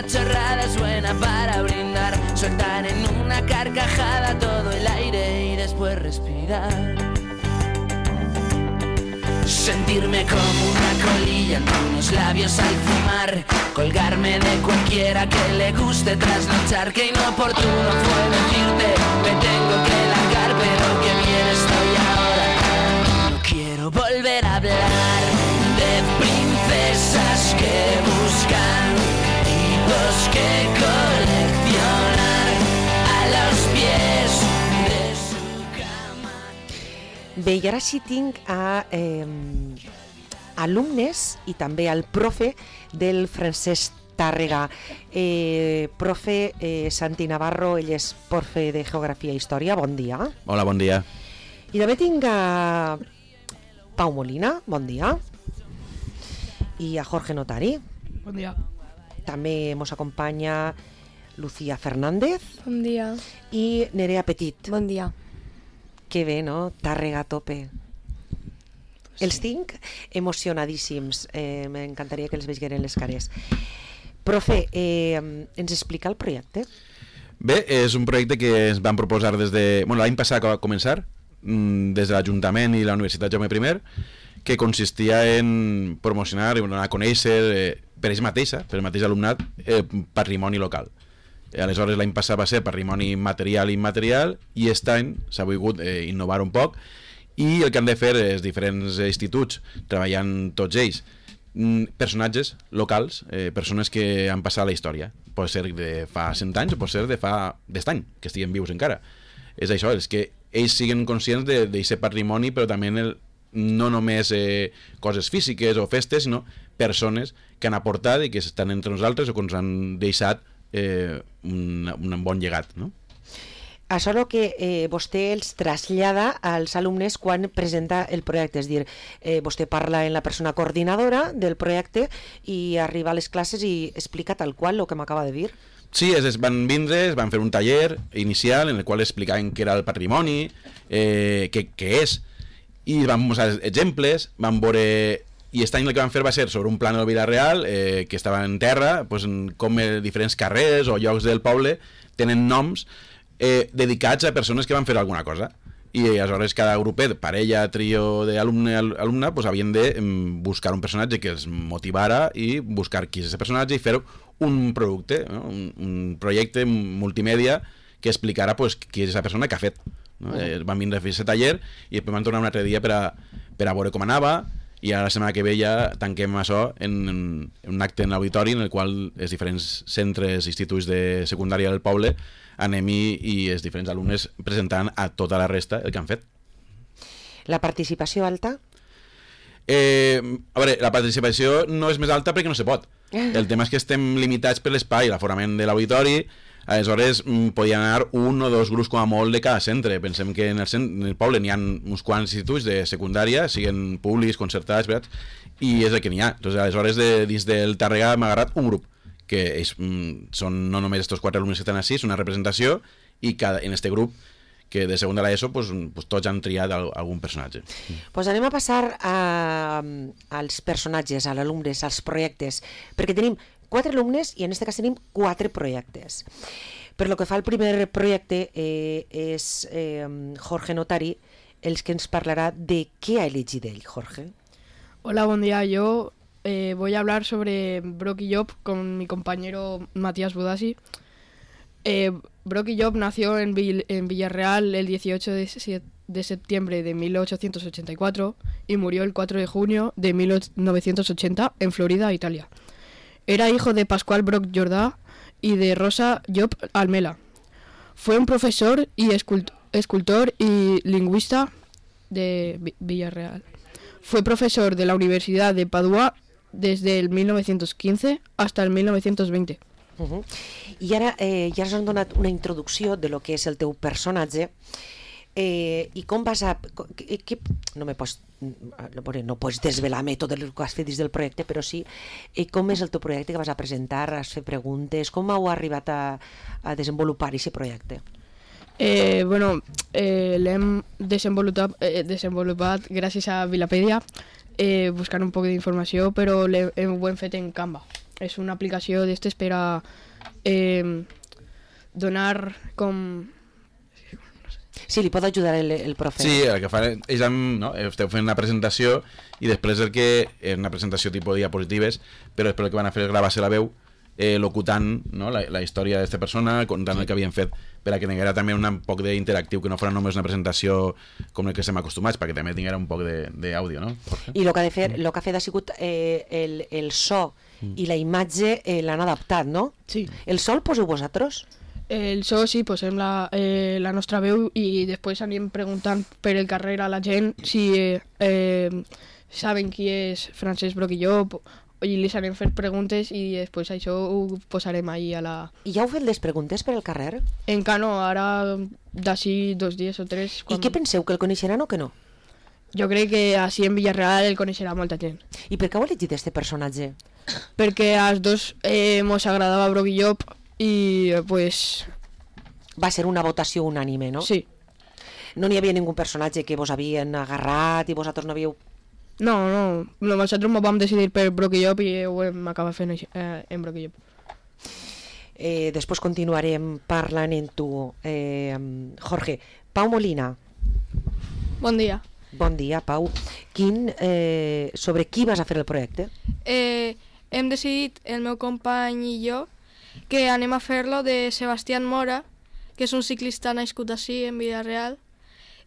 una chorrada es buena para brindar, soltar en una carcajada todo el aire y después respirar. Sentirme como una colilla en unos labios al fumar, colgarme de cualquiera que le guste trasnochar. Que inoportuno fue decirte me tengo que largar, pero que bien estoy ahora. No quiero volver a hablar de princesas que buscan hitos que coleccionar a los pies de su cama. Bé, i ara sí tinc a alumnes i també al profe del Francesc Tàrrega. Profe Santi Navarro, ell és profe de Geografia i Història, bon dia. Hola, bon dia. I també tinc a Pau Molina, bon dia. I a Jorge Notari. Bon dia. També ens acompanya Lucía Fernández. Bon dia. I Nerea Petit. Bon dia. Que bé, no? Tàrrega a tope. Sí. Els tinc emocionadíssims. M'encantaria que els veieren les cares. Profe, ens explica el projecte? Bé, és un projecte que ens van proposar des de... Bueno, l'any passat que va començar, des de l'Ajuntament i la Universitat Jaume I, que consistia en promocionar i donar a conèixer per ells mateixa, per el mateix alumnat, patrimoni local. Aleshores, l'any passat va ser patrimoni material i immaterial, i aquest any s'ha volgut innovar un poc, i el que han de fer els diferents instituts, treballant tots ells, personatges locals, persones que han passat la història. Pot ser de fa 100 anys o pot ser de fa d'est any, que estiguen vius encara. És això, és que ells siguin conscients d'aquest patrimoni, però també no només coses físiques o festes, sinó persones que han aportat i que estan entre nosaltres o que ens han deixat un bon llegat, no? Això és el que vostè els trasllada als alumnes quan presenta el projecte, és dir, vostè parla en la persona coordinadora del projecte i arriba a les classes i explica tal qual el que m'acaba de dir. Sí, van vindre, van fer un taller inicial en el qual explicaven què era el patrimoni, què és, i van posar exemples, van veure... I aquest any el que van fer va ser sobre un plànol Vila-real que estava en terra, doncs, com diferents carrers o llocs del poble tenen noms dedicats a persones que van fer alguna cosa. I aleshores cada grupet, parella, trio d'alumne, doncs, havien de buscar un personatge que els motivara i buscar qui és aquest personatge i fer un producte, no? un projecte multimèdia que explicara doncs, qui és aquesta persona que ha fet. No? Van vindre a fer aquest taller i després van tornar un altre dia per a veure com anava. I ara la setmana que ve ja tanquem això en un acte en l'auditori en el qual els diferents centres, instituts de secundària del poble anem i els diferents alumnes presentant a tota la resta el que han fet. La participació alta? A veure, la participació no és més alta perquè no se pot. El tema és que estem limitats per l'espai, l'aforament de l'auditori. Aleshores podien anar un o dos grups com a molt de cada centre. Pensem que en el poble n'hi ha uns quants instituts de secundària, siguin públics, concertats, i és el que n'hi ha. Aleshores, dins del Tàrrega m'ha agarrat un grup, que són no només aquests 4 alumnes que estan així, és una representació, i en aquest grup que de segona a l'ESO tots han triat algun personatge. Doncs anem a passar als personatges, als alumnes, als projectes, perquè tenim 4 alumnes i en aquest cas tenim 4 projectes. Per lo que fa al primer projecte és Jorge Notari el que ens parlarà de què ha elegit ell, Jorge. Hola, buen día. Yo voy a hablar sobre Brock y Job con mi compañero Matías Budassi. Brock y Job nació en Villarreal el 18 de septiembre de 1884 y murió el 4 de junio de 1980 en Florida, Italia. Era hijo de Pascual Brock Jordà y de Rosa Job Almela. Fue un profesor y escultor y lingüista de Villarreal. Fue profesor de la Universidad de Padua desde el 1915 hasta el 1920. I ara ja ens han donat una introducció de lo que és el teu personatge i com vas a... No pots desvelar-me tot el que has fet dins del projecte, però sí com és el teu projecte que vas a presentar, has fet preguntes, com heu arribat a desenvolupar aquest projecte? L'hem desenvolupat gràcies a Vilapedia, buscant un poc d'informació, però ho hem fet en Canva. és una aplicació d'estes per a donar com... Sí, li pot ajudar el profe. Sí, el que fan és no? Esteu fent una presentació i després el que és una presentació tipus diapositives, però després el que van a fer és gravar-se la veu locutant, no? la història d'esta persona, contant el que havien fet, per a que tinguera també un poc d'interactiu, que no fos només una presentació com el que estem acostumats, perquè també tinguera un poc d'àudio, no? I el que ha fet ha sigut el so i la imatge l'han adaptat, no? Sí. El so el poseu vosaltres? El so sí, posem la nostra veu i després anem preguntant per el carrer a la gent si saben qui és Francesc Broc i jo, i li anem fer preguntes i després això ho posarem ahí a la... I ja heu fet les preguntes per al carrer? Encara no, ara d'ací 2 dies o 3... I què penseu, que el coneixeran o que no? Jo crec que així en Villarreal el coneixerà molta gent. I per què heu elegit este personatge? Perquè als dos mos agradava Broc i Llop i pues... Va ser una votació unànime, no? Sí. No n'hi havia ningú personatge que vos havien agarrat i vosaltres no havíeu... No, nosaltres ens vam decidir per Broc i Llop i ho hem acabat fent en Broc i Llop. Després continuarem parlant amb tu, Jorge. Pau Molina. Bon dia. Bon dia, Pau. Sobre qui vas a fer el projecte? Hem decidit, el meu company i jo, que anem a fer-lo de Sebastián Mora, que és un ciclista nascut ací en Villarreal,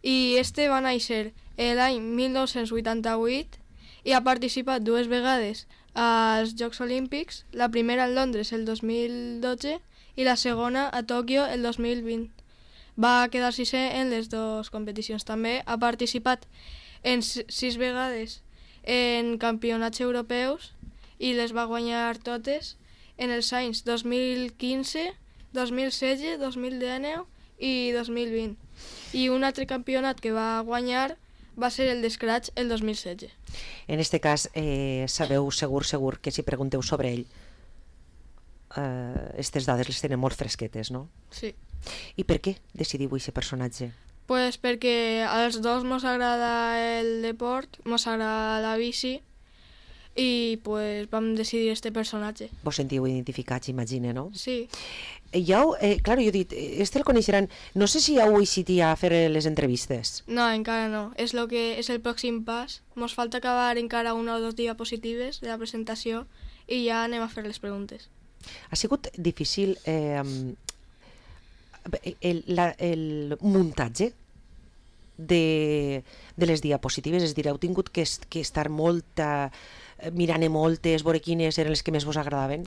i este va néixer l'any 1988 i ha participat 2 vegades als Jocs Olímpics, la primera en Londres el 2012 i la segona a Tòquio el 2020. Va quedar 6è en les 2 competicions. També ha participat en 6 vegades en campionats europeus i les va guanyar totes en els anys 2015, 2016, 2019 i 2020. I un altre campionat que va guanyar va ser el d'Scratch el 2016. En este cas, sabeu segur que si pregunteu sobre ell, aquestes dades les tenen molt fresquetes, no? Sí. I per què decidiu aquest personatge? Pues perquè als dos mos agrada el deport, mos agrada la bici i pues vam decidir este personatge. Vos sentiu identificats, imagine, no? Sí. Claro, jo he dit, el coneixeran... No sé si heu eixit a fer les entrevistes. No, encara no. És el pròxim pas. Mos falta acabar encara 1 o 2 diapositives de la presentació i ja anem a fer les preguntes. Ha sigut difícil el muntatge de les diapositives, és a dir, heu tingut que estar mirant moltes, veure quines eren les que més vos agradaven?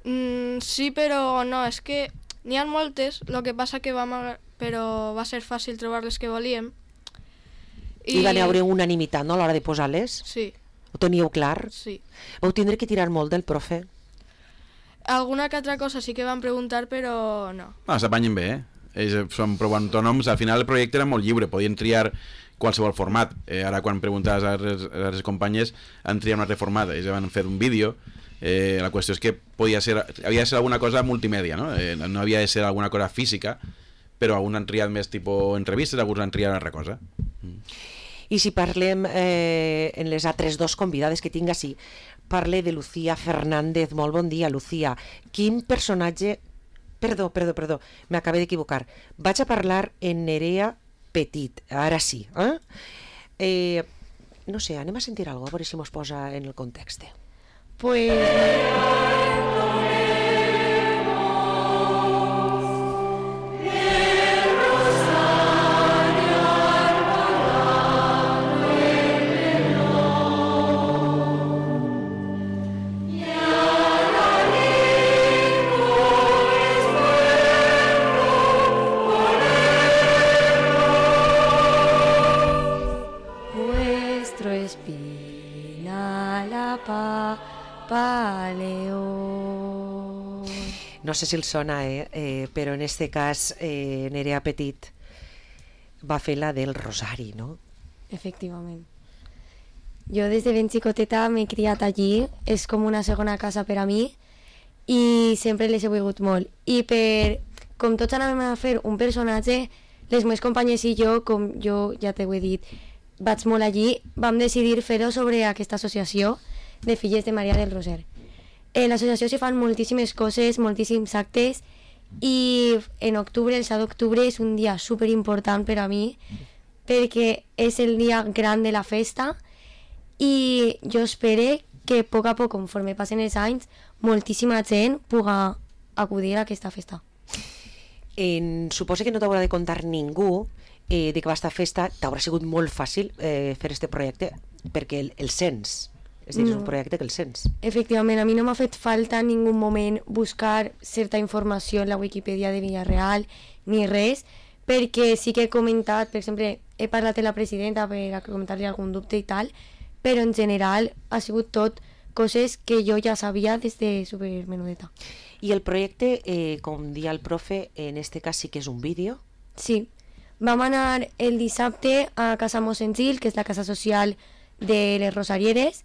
Sí, però no, és que n'hi ha moltes, el que passa que però va ser fàcil trobar les que volíem. I van haver unanimitat, no, a l'hora de posar-les? Sí. Ho teníeu clar? Sí. Vau tindre que tirar molt del profe? Alguna que altra cosa sí que van preguntar, però no. S'apanyen bé, són prou autònoms. Al final el projecte era molt lliure, podien triar qualsevol format. Ara quan preguntes a les companyes han triat un altre format, ells van fer un vídeo. La qüestió és que havia de ser alguna cosa multimèdia, no? No havia de ser alguna cosa física, però alguns han triat més tipus entrevistes, alguns han triat una altra cosa. I si parlem en les altres 2 convidades que tinc així, parle de Lucía Fernández. Molt bon dia, Lucía. Quin personatge... Perdó, m'acabé d'equivocar. Vaig a parlar en Nerea Petit, ara sí. No sé, anem a sentir alguna cosa, a veure si mos posa en el context. Pues... No sé si el sona, però en este cas Nerea Petit va fer la del Rosari, no? Efectivament. Jo des de ben xicoteta m'he criat allí, és com una segona casa per a mi i sempre les he volgut molt. I com tots anàvem a fer un personatge, les meves companyes i jo, com jo ja t'ho he dit, vaig molt allí, vam decidir fer-ho sobre aquesta associació de Filles de Maria del Roser. En l'associació se fan moltíssimes coses, moltíssims actes, i en octubre, el 7 d'octubre, és un dia superimportant per a mi, perquè és el dia gran de la festa, i jo espero que a poc, conforme passen els anys, moltíssima gent pugui acudir a aquesta festa. Suposo que no t'haurà de contar ningú de que aquesta festa t'haurà sigut molt fàcil fer este projecte, perquè el sents. És dir, és un projecte que el sents. Efectivament, a mi no m'ha fet falta en ningú moment buscar certa informació en la Wikipedia de Villarreal ni res, perquè sí que he comentat, per exemple, he parlat amb la presidenta per a comentar-li algun dubte i tal, però en general ha sigut tot coses que jo ja sabia des de supermenudeta. I el projecte, com dia el profe, en este cas sí que és un vídeo? Sí. Vam anar el dissabte a Casa Mossèn Gil, que és la casa social de les Rosarieres,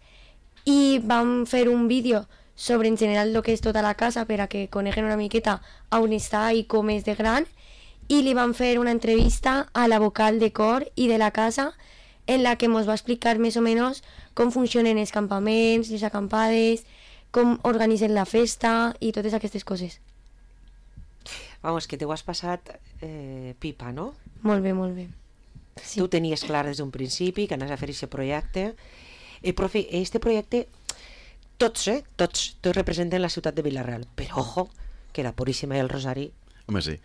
i vam fer un vídeo sobre en general el que és tota la casa per a que coneguen una miqueta on està i com és de gran, i li vam fer una entrevista a la vocal de cor i de la casa en la que ens va explicar més o menys com funcionen els campaments, les acampades, com organitzen la festa i totes aquestes coses. Vamos, que t'ho has passat pipa, no? Molt bé, molt bé. Sí. Tu tenies clar des d'un principi que anaves a fer aquest projecte. Profe, este projecte, tots representen la ciutat de Vila-real, però ojo, que la Puríssima i el Rosari... Home, sí.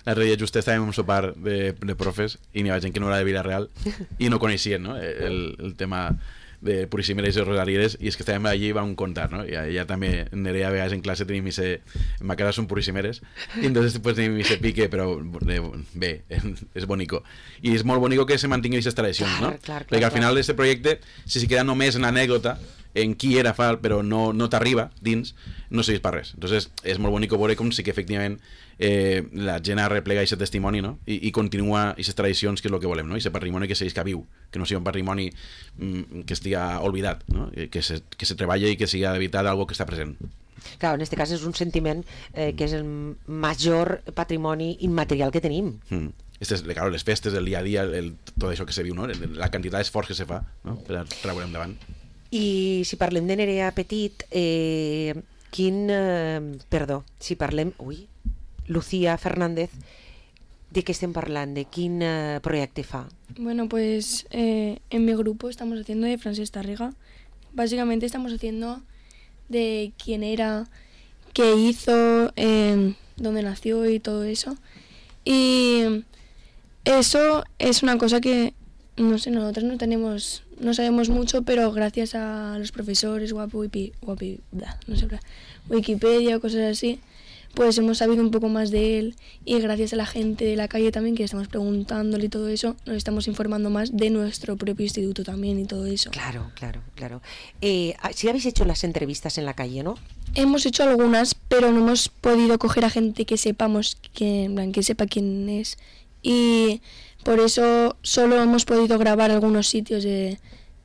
L'altre dia just estàvem en un sopar de profes i n'hi ha gent que no era de Vila-real i no coneixien, no? el tema de Puríssimeres i Rosarieres, i és que estàvem allí i vam contar, no? Ja també Nerea a vegades en classe tenim ese... En ma casa són Puríssimeres i entonces pues tenim ese pique, però bé, és bonico. I és molt bonico que se mantinguin aquestes tradicions, no? Clar, perquè al final d'aquest projecte, si queda només en anècdota, en qui era fa, però no t'arriba dins, no serveix per res. Entonces és molt bonico veure com sí que efectivament la gent arreplega aquest testimoni, no? I continua aquestes tradicions, que és el que volem, no? Aquest patrimoni que segueix viu, que no sigui un patrimoni que estiga oblidat, no? Que se treballa i que sigui de veritat algo que està present. Clar, en aquest cas és un sentiment que és el major patrimoni immaterial que tenim. Claro, les festes, el dia a dia, tot això que se viu, no? La quantitat d'esforç que se fa, no? Per a treure endavant. I si parlem de Nerea Petit, si parlem... Lucía Fernández, ¿de qué estem parlant? ¿De quin proyecto fa? Bueno, pues en mi grupo estamos haciendo de Francesc Tàrrega. Básicamente estamos haciendo de quién era, qué hizo, dónde nació y todo eso. Y eso es una cosa que, no sé, nosotros no sabemos mucho, pero gracias a los profesores, Wikipedia o cosas así, pues hemos sabido un poco más de él, y gracias a la gente de la calle también, que estamos preguntándole y todo eso, nos estamos informando más de nuestro propio instituto también y todo eso. Claro. Si habéis hecho las entrevistas en la calle, ¿no? Hemos hecho algunas, pero no hemos podido coger a gente que sepamos, que sepa quién es, y por eso solo hemos podido grabar algunos sitios de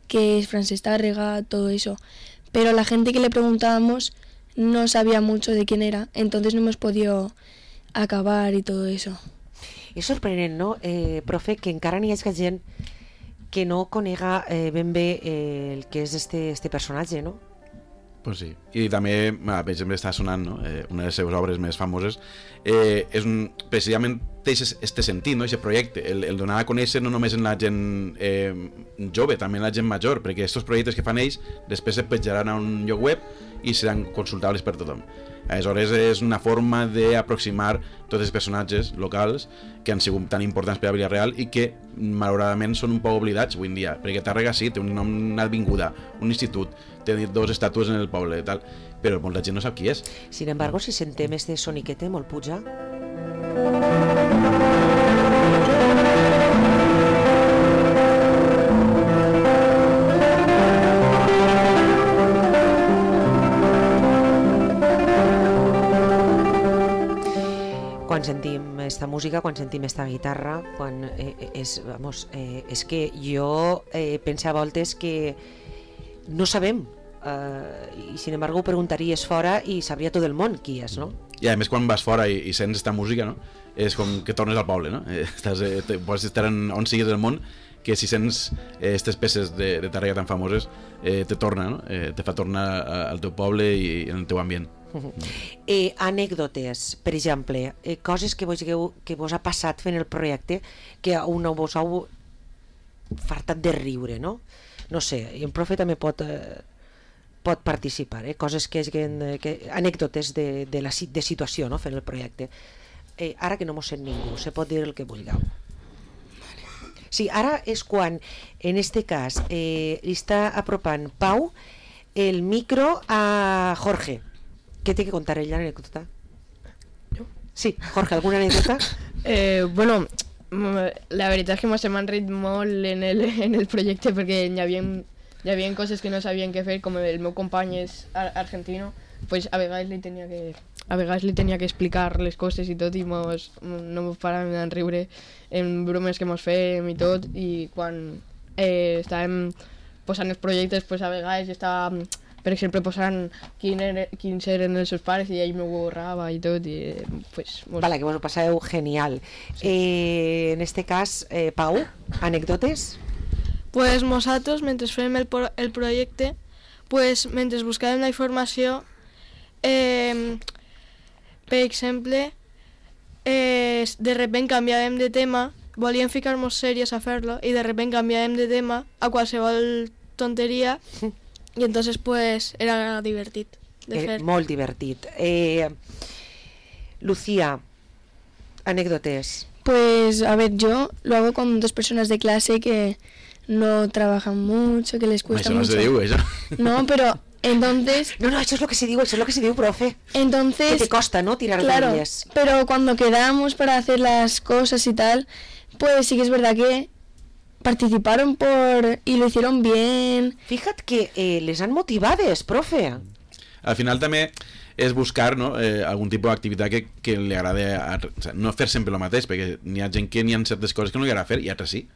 que es Francesc Tàrrega, todo eso. Pero la gente que le preguntábamos no sabía mucho de quién era, entonces no hemos podido acabar y todo eso. És sorprenent, no, profe, que encara n'hi hagi gent que no conega ben bé el que és este personatge, no? Pues sí, i també, per exemple, està sonant, no? Una de les seves obres més famoses, precisament té este sentit, no? Aquest projecte, el donar a conèixer no només en la gent jove, també en la gent major, perquè aquests projectes que fan ells després es penjaran a un lloc web i seran consultables per tothom. Aleshores és una forma d'aproximar tots els personatges locals que han sigut tan importants per a Vila-real i que malauradament són un poc oblidats avui en dia, perquè Tàrrega sí, té un nom, una avinguda, un institut, té 2 estàtues en el poble, tal, però molta gent no sap qui és. Sin embargo, si sentem este soniquete molt puja... Quan sentim esta música, quan sentim esta guitarra, quan és que jo penso a voltes que no sabem, i sin embargo ho preguntaries fora i sabria tot el món qui és, no? I a més quan vas fora i sents esta música, no? És com que tornes al poble, no? Pots estar on siguis del món, que si sents aquestes peces de Tàrrega tan famoses te torna, no? Te fa tornar al teu poble i en el teu ambient. Anècdotes, per exemple, coses que vos ha passat fent el projecte que a una vos heu fartat de riure, no? No sé, i el profe també pot participar, coses anècdotes de situació, no? Fent el projecte. Ara que no mos sent ningú, se pot dir el que vulgueu. Sí, ara és quan, en este cas, li està apropant Pau el micro a Jorge. ¿Qué tiene que contar ella la anécdota? ¿Yo? Sí, Jorge, ¿alguna anécdota? Bueno, la veritat és que m'hem enrit molt en el projecte perquè hi havia coses que no sabien què fer, com el meu company és argentino, pues a vegades li tenia que explicar les coses i tot i no mos paràvem de riure en bromes que mos fèiem i tot, i quan estàvem posant els projectes, pues a vegades estava, per exemple, posant quins eren els seus pares i ell m'ho borrava i tot, i pues... Vale, que vos ho passeu genial. Sí. En este cas, Pau, anècdotes? Pues nosaltres, mentre fèiem el projecte, pues mentre buscàvem la informació, per exemple, de repent canviàvem de tema, volíem ficar-nos sèries a fer-lo i de repent canviàvem de tema a qualsevol tonteria. Y entonces pues era divertit de fer. Molt divertit. Lucía, anécdotes. Pues a ver, yo lo hago con 2 personas de clase que no trabajan mucho, que les cuesta mucho. Eso no se diu, eso. No, pero entonces... No, eso es lo que se diu, profe. Entonces... Que te costa, ¿no? Tirar claro, de ellas. Pero cuando quedamos para hacer las cosas y tal, pues sí que es verdad que participaron y lo hicieron bien. Fíjate que les han motivades, profe. Al final també és buscar, no, algun tipus d'activitat que li agrada, o sea, no fer sempre el mateix, perquè n'hi ha gent que n'hi ha certes coses que no li agrada fer i altres sí.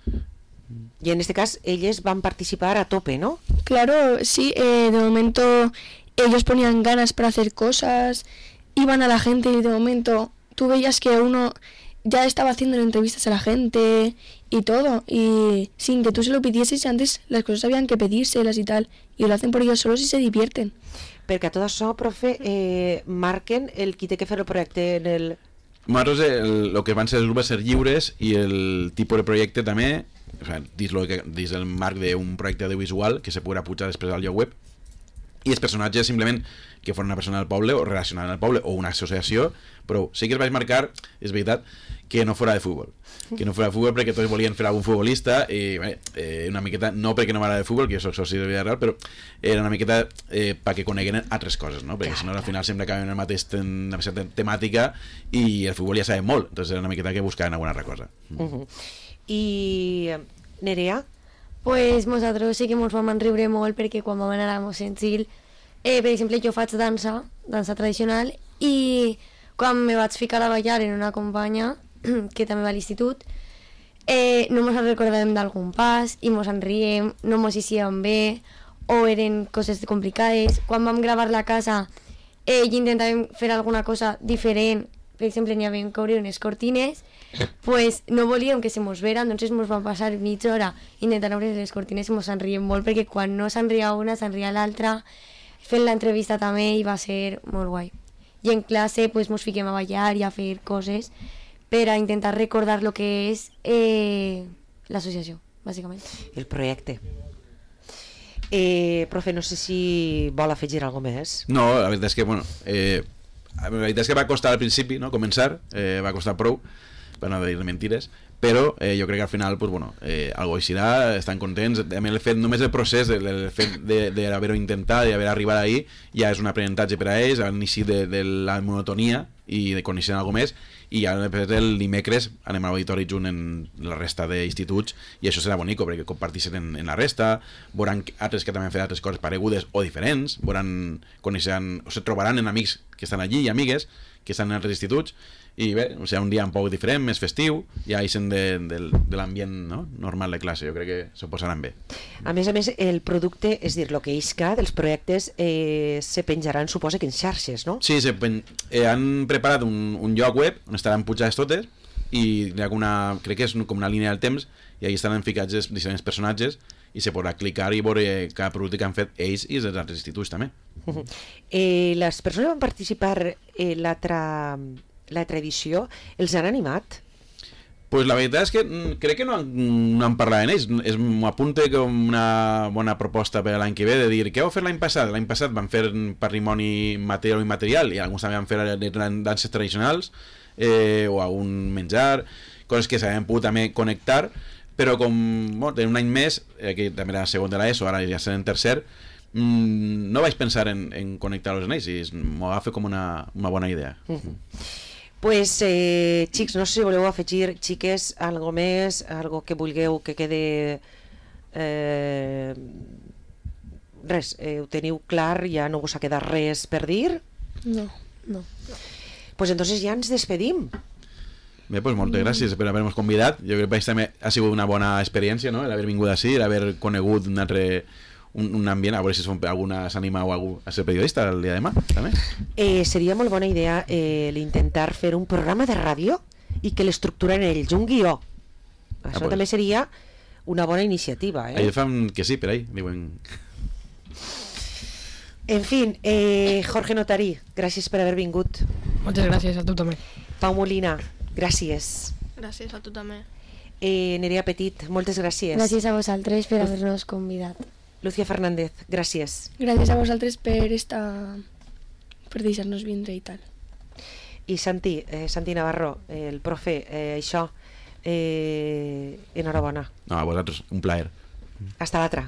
Y en este caso ellos van a participar a tope, ¿no? Claro, sí, de momento ellos ponían ganas para hacer cosas, iban a la gente y de momento tú veías que uno ya estaba haciendo entrevistas a la gente y todo, y sin que tú se lo pidieses, antes las cosas habían que pedírselas y tal, y lo hacen por ellos solos y se divierten. Perquè a tot això, profe, marquen el qui té que fer el projecte en el... Nosaltres el que van ser els grups ser lliures i el tipus de projecte també, o sea, dins el marc d'un projecte audiovisual que se podrà pujar després al lloc web, i els personatges simplement que fos una persona del poble o relacionada amb el poble o una associació, però sí que es vaig marcar, és veritat, que no fora de futbol. Que no fora de futbol perquè tots volien fer algun futbolista i una miqueta, no perquè no m'agrada de futbol, que jo soc soci de vida real, però era una miqueta perquè coneguen altres coses, no? Perquè si no al final sempre acabem en la mateixa temàtica i el futbol ja sabem molt, entonces era una miqueta que buscaven alguna altra cosa. I Nerea? Pues nosaltres sí que ens vam enriure molt perquè quan vam anar a Mosensil, per exemple, jo faig dansa tradicional, i quan me vaig ficar a ballar en una companya que també va a l'institut, no ens recordàvem d'algun pas i ens enriem, no ens hicíem bé o eren coses complicades. Quan vam gravar la casa i intentàvem fer alguna cosa diferent, per exemple, n'hi havia que obrir unes cortines, pues no volíem que se mos vera, doncs ens vam passar mitja hora intentant obrir les cortines i ens enriem molt, perquè quan no s'enria una, s'enria l'altra. Fent l'entrevista també i va ser molt guai. I en classe pues ens fiquem a ballar i a fer coses per a intentar recordar el que és l'associació, bàsicament. El projecte. Profe, no sé si vol afegir alguna més. No, la veritat és que, bueno, la veritat és que va costar al principi, no?, començar, va costar prou, per no dir mentides, però jo crec que al final, pues, bueno, algo eixirà, estan contents. El fet, només el procés, el fet d'haver-ho intentat, d'haver arribat ahí, ja és un aprenentatge per a ells, a l'inici de la monotonia i de conèixer alguna més, i ja el dimecres anem a l'auditori junt en la resta d'instituts, i això serà bonico, perquè comparteixen en la resta, veuran altres que també han fet altres coses paregudes o diferents, veuran, coneixeran, o se trobaran en amics que estan allí i amigues que estan en altres instituts, i bé, o sigui, un dia un poc diferent, més festiu, ja eixen de l'ambient, no?, normal de classe. Jo crec que s'ho posaran bé. A més, el producte, és dir, el que isca dels projectes se penjaran, suposa que en xarxes, no? Sí, han preparat un lloc web on estaran pujades totes, i hi ha crec que és com una línia del temps i ahí estan ficats els diferents personatges i se podrà clicar i veure cada producte que han fet ells i els altres instituts també. Les persones que van participar en l'altra edició, els han animat? Pues la veritat és que crec que no han parlat en ells. M'ho apunta com una bona proposta per l'any que ve de dir, què heu fet l'any passat? L'any passat van fer patrimoni material o immaterial i alguns també van fer danses tradicionals o algun menjar, coses que s'havien pogut també connectar, però com en un any més, que també era segon de l'ESO, ara ja serà en tercer, no vaig pensar en connectar-los en ells i m'ho va fer com una bona idea. Pues, xics, no sé si voleu afegir, xiques, algo més, algo que vulgueu que quede... res, ho teniu clar, ja no us ha quedat res per dir? No. Pues entonces ja ens despedim. Bé, pues moltes gràcies per haver-nos convidat. Jo crec que també ha sigut una bona experiència, no?, l'haver vingut així, l'haver conegut un ambient, a veure si algú s'anima o algú a ser periodista el dia de demà, també. Seria molt bona idea l'intentar fer un programa de ràdio i que l'estructura en ells, un guió. Això pues també seria una bona iniciativa. Ells fan que sí, per ahí. Diuen... En fin, Jorge Notarí, gràcies per haver vingut. Moltes gràcies a tu també. Pau Molina, gràcies. Gràcies a tu també. Nerea Petit, moltes gràcies. Gràcies a vosaltres per haver-nos convidat. Lucía Fernández, gràcies. Gràcies a vosaltres per deixar-nos vindre i tal. I Santi Navarro, el profe, això, enhorabona. No, a vosaltres, un plaer. Hasta l'altra.